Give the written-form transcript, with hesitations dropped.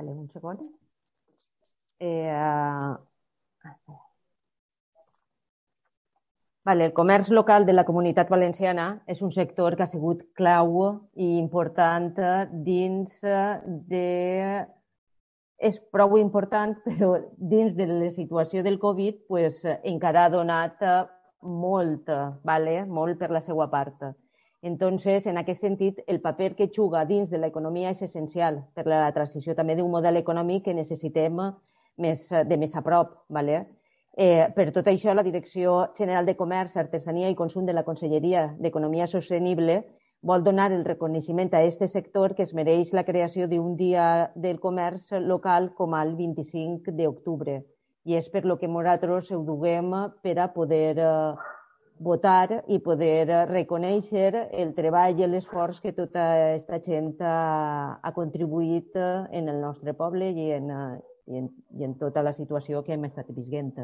Vale, un segon. Vale, el comerç local de la Comunitat Valenciana és un sector que ha sigut clau i important dins de... És prou important, però dins de la situació del Covid pues, encara ha donat molt, molt per la seva part. Entonces, en aquest sentit, el paper que juga dins de l'economia és essencial per la transició també d'un model econòmic que necessitem de més a prop. Per tot això, la Direcció General de Comerç, Artesania i Consum de la Conselleria d'Economia Sostenible vol donar el reconeixement a aquest sector que es mereix la creació d'un dia del comerç local com el 25 d'octubre. I és per lo que nosaltres ho duguem per a poder votar i poder reconèixer el treball i l'esforç que tota aquesta gent ha contribuït en el nostre poble i en tota la situació que hem estat vivint.